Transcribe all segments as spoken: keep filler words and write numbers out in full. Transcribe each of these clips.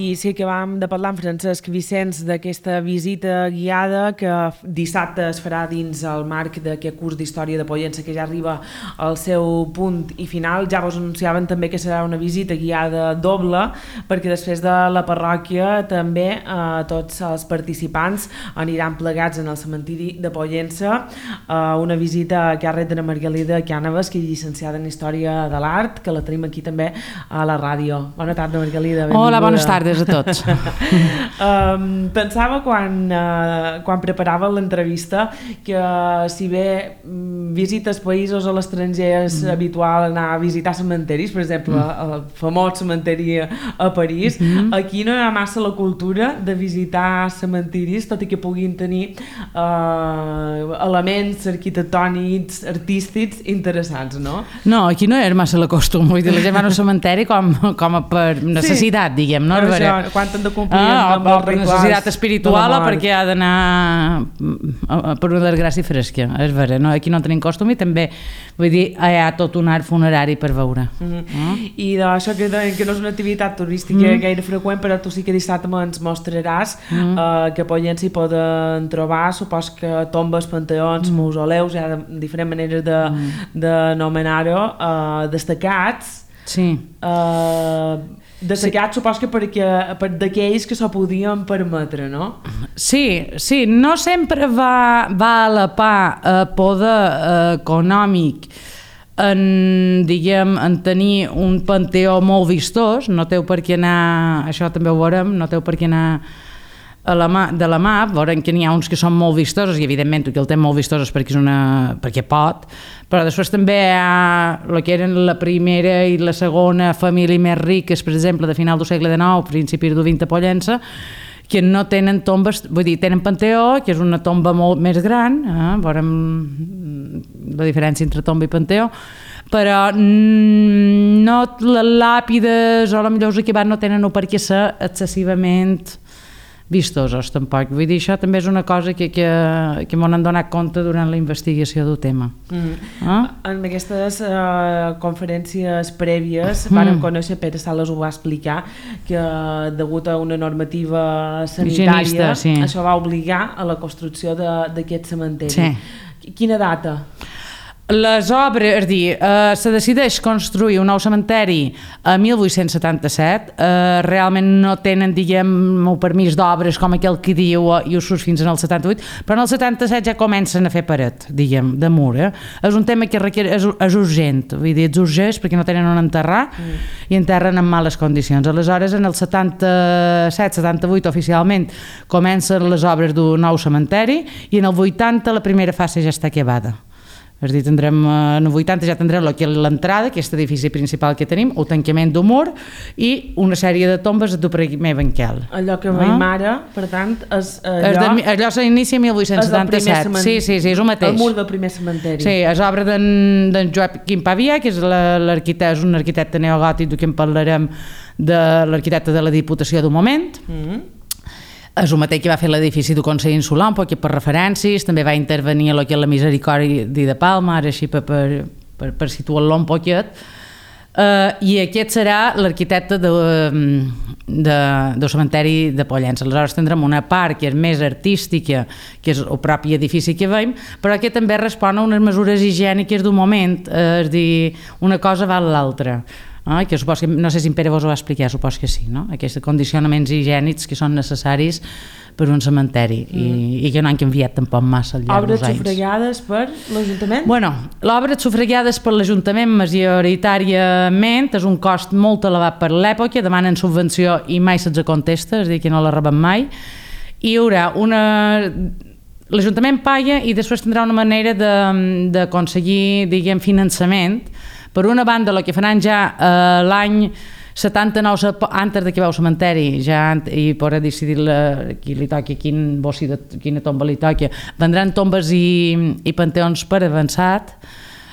I sí que vam de parlar amb Francesc Vicenç d'aquesta visita guiada que dissabte es farà dins el marc d'aquest curs d'Història de Pollença que ja arriba al seu punt i final. Ja vos anunciaven també que serà una visita guiada doble, perquè després de la parròquia també eh, tots els participants aniran plegats en el cementiri de Pollença, eh, una visita a càrrec de Margalida Cànovas, que és llicenciada en Història de l'Art, que la tenim aquí també a la ràdio. Bona tarda, Margalida. Benvinguda. Hola, bones tardes a tots. um, pensava quan, uh, quan preparava l'entrevista que uh, si bé um, visites països a l'estranger és mm. habitual anar a visitar cementeris, per exemple mm. el famós cementeri a París, mm. aquí no hi ha massa la cultura de visitar cementiris, tot i que puguin tenir uh, elements arquitectònics, artístics interessants, no? No, aquí no hi ha massa la costum, vull dir, la gent va al cementeri com, com a per necessitat, sí. diguem, no? Per això, quan han de complir ah, amb els per necessitat espiritual o perquè ha d'anar per una desgràcia fresca, és vera, no? Aquí no tenim costum i també, vull dir, hi ha tot un art funerari per veure. Mm-hmm. no? I d'això que, que no és una activitat turística mm. gaire freqüent, però tu sí que dissabte ens mostraràs mm. uh, que a Pollença hi poden trobar, supos que tombes, panteons, mm. mausoleus, hi ha diferents maneres de, mm. d'anomenar-ho, uh, destacats. Sí. Uh, destacats sí. supos que perquè, per d'aquells que s'ho podien permetre, no? Sí, sí, no sempre va, va a la par eh, poder eh, econòmic en, diguem, en tenir un panteó molt vistós, no teu per què anar, això també ho veurem, no teu per què anar a la mà, de la mà, veurem que n'hi ha uns que són molt vistosos i evidentment que el té molt vistosos perquè, és una, perquè pot, però després també hi ha el que eren la primera i la segona família més riques, per exemple, de final del segle dinou, principis del vint a Pollença, que no tenen tombes, vull dir, tenen panteó, que és una tomba molt més gran, eh? veurem la diferència entre tomba i panteó, però no les làpides o potser els equipats no tenen per què ser excessivament vistosos tampoc. Vull dir, això també és una cosa que, que, que m'ho han donat compte durant la investigació del tema. Mm. Ah? En aquestes uh, conferències prèvies mm. vam conèixer, Pere Sales ho va explicar, que degut a una normativa sanitària Higienista, sí. això va obligar a la construcció d'aquest cementeri. Sí. Quina data? Les obres, és a dir, eh, se decideix construir un nou cementeri a mil vuit-cents setanta-set, eh, realment no tenen, diguem, un permís d'obres com aquell que diu i ho surt fins al setanta-vuit, però en el setanta-set ja comencen a fer paret, diguem, de mur. Eh? És un tema que requiere, és, és urgent, vull dir, és urgent perquè no tenen on enterrar mm. i enterren en males condicions. Aleshores, en el setanta-set setanta-vuit oficialment comencen les obres d'un nou cementeri i en el vuitanta la primera fase ja està acabada. És a dir, tindrem, en el vuitanta ja tindrem l'entrada, aquest edifici principal que tenim, el tancament d'un mur i una sèrie de tombes del primer banquel. Allò que veiem ah. ara, per tant, és allò... És de, allò s'inicia mil vuit-cents setanta-set. Sí, sí, sí, és el mateix. El mur del primer cementeri. Sí, és obra d'en Joaquim Pavia, que és, l'arquitecte, és un arquitecte neogòtic, que en parlarem de l'arquitecte de la Diputació d'un moment. Mm-hmm. És el mateix que va fer l'edifici del Consell Insular, un poc per referències, també va intervenir a lo que és la Misericòrdia de Palma, ara així per, per, per, per situar-lo un poquet, uh, i aquest serà l'arquitecte de, de, del cementeri de Pollença. Aleshores tindrem una part que és més artística, que és el propi edifici que veiem, però que també respon a unes mesures higièniques d'un moment, uh, és a dir, una cosa va a l'altra. Ah, que supos que, no sé si en Pere vos ho va explicar, supos que sí, no? Aquests condicionaments higiènics que són necessaris per un cementeri mm. i, i que no han canviat tampoc massa al llarg dels anys. Obres sufragades per l'Ajuntament? Bueno, l'obra sufragades per l'Ajuntament majoritàriament és un cost molt elevat per l'època, demanen subvenció i mai se'ls contesta, és a dir, que no la reben mai, i hi haurà una... L'Ajuntament paga i després tindrà una manera d'aconseguir, diguem, finançament. Per una banda, el que faran ja eh, l'any setanta-nou, antes de que veu el cementeri, ja i podrà decidir la, qui li toqui, quin bossi de, quina tomba li toqui, vendran tombes i, i panteons per avançat.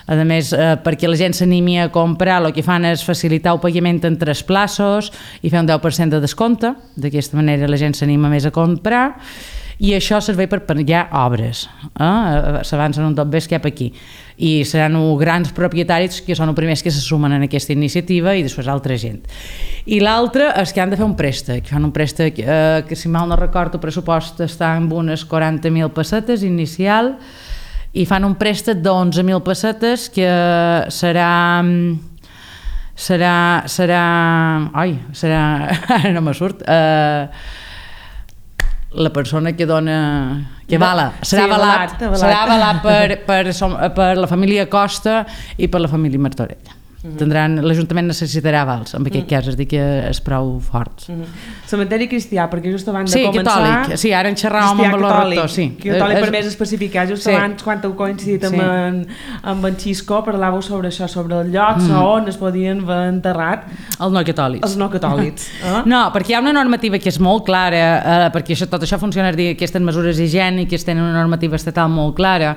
A més, eh, perquè la gent s'animi a comprar, el que fan és facilitar el pagament en tres plaços i fer un deu per cent de descompte. D'aquesta manera la gent s'anima més a comprar. i això serveix per penjar obres. Eh? S'avancen un tot bé cap aquí. I seran grans propietaris que són els primers que se sumen en aquesta iniciativa i després altra gent. I l'altre és que han de fer un préstec. Fan un préstec eh, que, si mal no recordo, el pressupost està amb unes quaranta mil pessetes inicial i fan un préstec d'onze mil pessetes que serà... serà... serà... Ai, serà... Ara no me surt... Eh, la persona que dona que vala, serà sí, avalat, avalat, avalat. serà avalat per, per, per la família Costa i per la família Martorell. Mm-hmm. Tindran, l'Ajuntament necessitarà avals en aquest mm. cas, és dir que és prou forts. Mm-hmm. Cementeri cristià, perquè just abans sí, de començar... Catòlic, sí, ara en xerràvem amb el rector, sí. Catòlic, per més especificar, just sí. abans, quan heu coincidit amb, sí. en, amb en Xisco, parlàveu sobre això, sobre el lloc mm. on es podien haver enterrat els no catòlics. Els no catòlics. Eh? No, perquè hi ha una normativa que és molt clara, eh, perquè això, tot això funciona, és dir, aquestes mesures higièniques tenen una normativa estatal molt clara,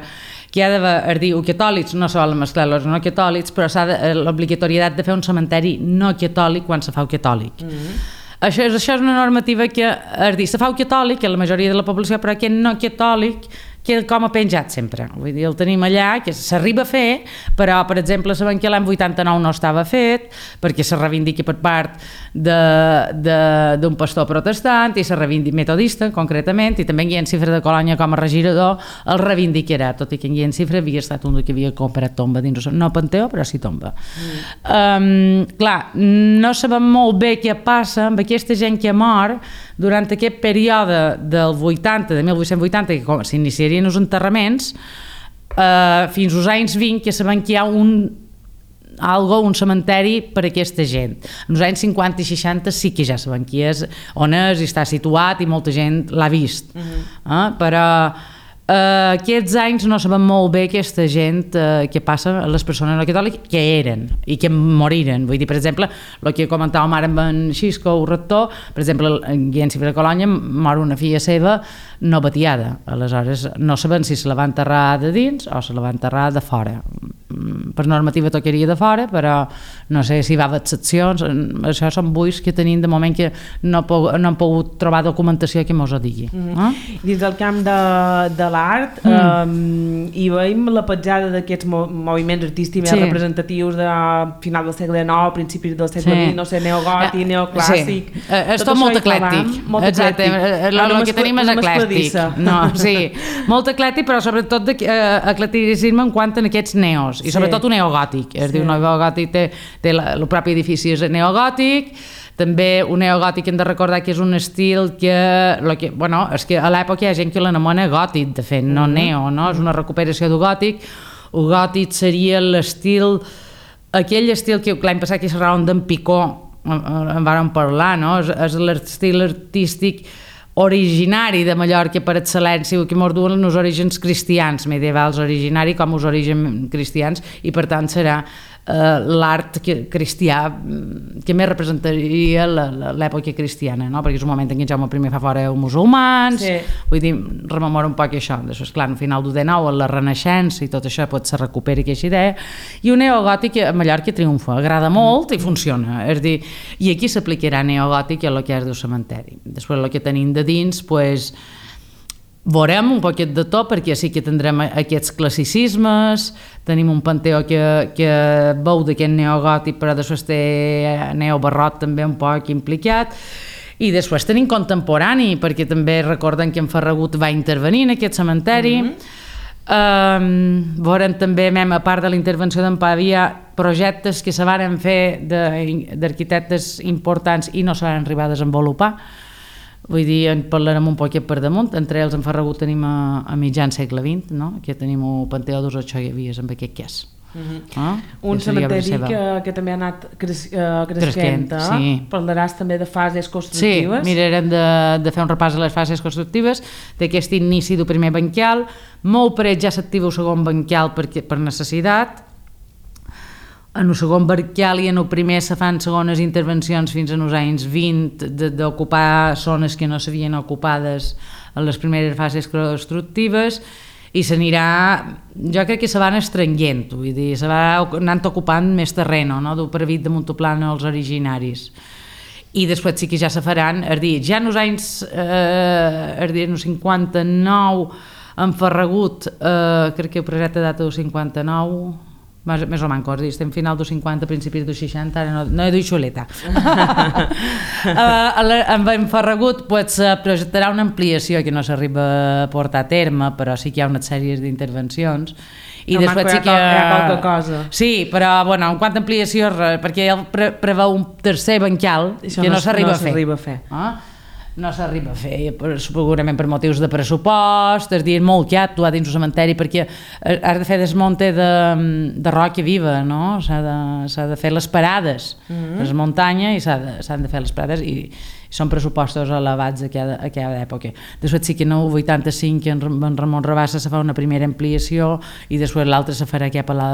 que hi ha d'haver, és dir, els catòlics no se volen mesclar els no catòlics, però s'ha l'obligatorietat de fer un cementeri no catòlic quan se fa el catòlic. Mm-hmm. Això, això és una normativa que, és dir, se fa el catòlic, que la majoria de la població, però aquest no catòlic queda com a penjat sempre. Vull dir, el tenim allà, que s'arriba a fer, però, per exemple, sabem que l'any vuitanta-nou no estava fet, perquè se reivindica per part d'un pastor protestant i se reivindica metodista, concretament, i també en Guillem Cifra de Colònia, com a regidor, el reivindicarà, tot i que en Guillem Cifra havia estat un que havia comprat tomba dins, no Panteó, però sí tomba. Mm. Um, clar, no sabem molt bé què passa amb aquesta gent que mor durant aquest període del vuitanta, de mil vuit-cents vuitanta, que s'iniciarien els enterraments, eh, fins als anys vint, que sabem que hi ha un algo, un cementeri per a aquesta gent. En els anys cinquanta i seixanta sí que ja sabem qui és, on és i està situat i molta gent l'ha vist. Uh-huh. eh? Però Uh, aquests anys no sabem molt bé aquesta gent uh, que passa a les persones no catòliques que eren i que moriren. Vull dir, per exemple, el que comentàvem ara amb en Xisco, el rector, per exemple, en Guillem Cifra de Colònia mor una filla seva no batiada. Aleshores, no sabem si se la va enterrar de dins o se la va enterrar de fora. Per normativa tocaria de fora, però no sé si va haver excepcions. Això són buits que tenim de moment que no, no hem pogut trobar documentació que mos ho digui. Mm-hmm. eh? Dins del camp de, de l'art mm. um, hi veiem la petjada d'aquests mo moviments artístics sí. més representatius de final del segle nou, principis del segle vint, sí. no sé, neogòtic, neoclàssic... Sí. És tot, tot molt eclèctic. Molt Exacte. El, el que tenim és eclèctic. No, sí. Molt eclèctic, però sobretot de, uh, eclecticisme en quant a aquests neos, i sobretot sí. un neogòtic. És sí. dir, un neogòtic té, té la, el propi edifici és neogòtic. També un neogòtic hem de recordar que és un estil que, lo que bueno, és que a l'època hi ha gent que l'anomena gòtic, de fet, no mm-hmm. neo, no? És una recuperació del gòtic. El gòtic seria l'estil, aquell estil que l'any passat que xerràvem d'en Picó, en vàrem parlar, no? És, és l'estil artístic originari de Mallorca per excel·lència, que mos duen els orígens cristians medievals, originari com els orígens cristians, i per tant serà eh, l'art cristià que més representaria l'època cristiana, no? Perquè és un moment en què Jaume primer fa fora els musulmans, sí. vull dir, rememora un poc això. Després, clar, al final del dinou, la Renaixença i tot això pot se recupera aquesta idea, i un neogòtic a Mallorca triomfa, agrada molt i funciona, és dir, i aquí s'aplicarà neogòtic a lo que és del cementeri. Després el que tenim de dins, pues, veurem un poquet de tot, perquè sí que tindrem aquests classicismes, tenim un panteó que, que veu d'aquest neogòtic, però després té neobarroc també un poc implicat, i després tenim contemporani, perquè també recorden que en Ferragut va intervenir en aquest cementeri. Mm-hmm. um, veurem també, mem, a part de la intervenció d'en Pavia, projectes que se varen fer d'arquitectes importants i no se van arribar a desenvolupar. Vull dir, en parlarem un poquet per damunt. Entre ells en Ferragut tenim a, a mitjan segle vint, no? Que tenim el Panteó dels Ochoiavies amb aquest cas. Uh-huh. ah? Un cementeri que, que també ha anat cres, uh, creixent, eh? Sí. Parlaràs també de fases constructives. Sí, mirarem de, de fer un repàs a les fases constructives d'aquest inici del primer banquial. Molt per ja s'activa el segon banquial per, per necessitat. En el segon banquial i en el primer se fan segones intervencions fins als anys vint d'ocupar zones que no s'havien ocupades en les primeres fases constructives, i s'anirà, jo crec que se van estrenguent, vull dir, se va anant ocupant més terreny, no? Del previst de Montoplano als originaris. i després sí que ja se faran, és dir, ja en els anys, eh, és dir, en el cinquanta-nou en Ferragut, eh, crec que el projecte data del cinquanta-nou, més, més o menys, dir, estem final dels cinquanta, principis dels seixanta, ara no, no he dit xuleta. eh, en Ferragut pues, se projectarà una ampliació que no s'arriba a portar a terme, però sí que hi ha una sèrie d'intervencions. I no, després sí que... Hi ha qualque cosa. Sí, però bueno, en quant a ampliació, perquè ell pre preveu un tercer bancal Això que no, no s'arriba no a fer. A fer. Ah? No s'arriba a fer, segurament per motius de pressupost, és dir, molt que ha actuat dins el cementeri, perquè has de fer desmunte de, de roca viva, no? S'ha de, s'ha de fer les parades, mm -hmm. les muntanyes, i s'han de, de fer les parades, i, i són pressupostos elevats a cada, a cada època. Després sí que en el vuitanta-cinc en, en Ramon Rabassa se fa una primera ampliació i després l'altra se farà cap a la,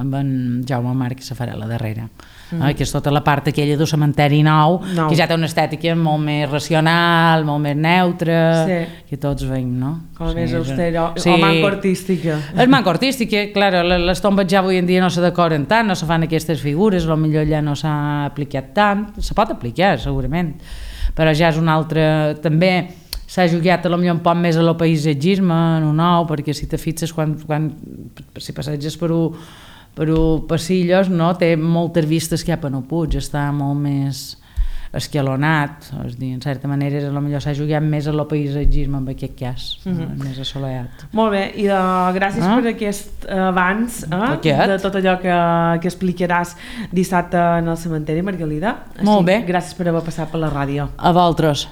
amb en Jaume Marc, que se farà la darrera. Mm -hmm. eh, que és tota la part aquella del cementeri nou, nou, que ja té una estètica molt més racional, molt més neutra, sí. que tots veiem, no? Com sí, més austera, sí. o manco artística. És manco artística, clar, les tombes ja avui en dia no se decoren tant, no se fan aquestes figures, potser allà no s'ha aplicat tant, se pot aplicar segurament, però ja és un altre... També s'ha jugat a lo millor un poc més a lo paisatgisme, en un nou, perquè si te fixes, quan, quan, si passeges per un per passillos, no? Té moltes vistes cap a no Puig, està molt més escalonat, és dir, en certa manera potser s'ha jugat més a lo paisatgisme en aquest cas, mm -hmm. més assolellat. Molt bé, i uh, gràcies ah? per aquest avanç eh? de tot allò que, que explicaràs dissabte en el cementeri, Margalida. Molt bé. Gràcies per haver passat per la ràdio. A vosaltres.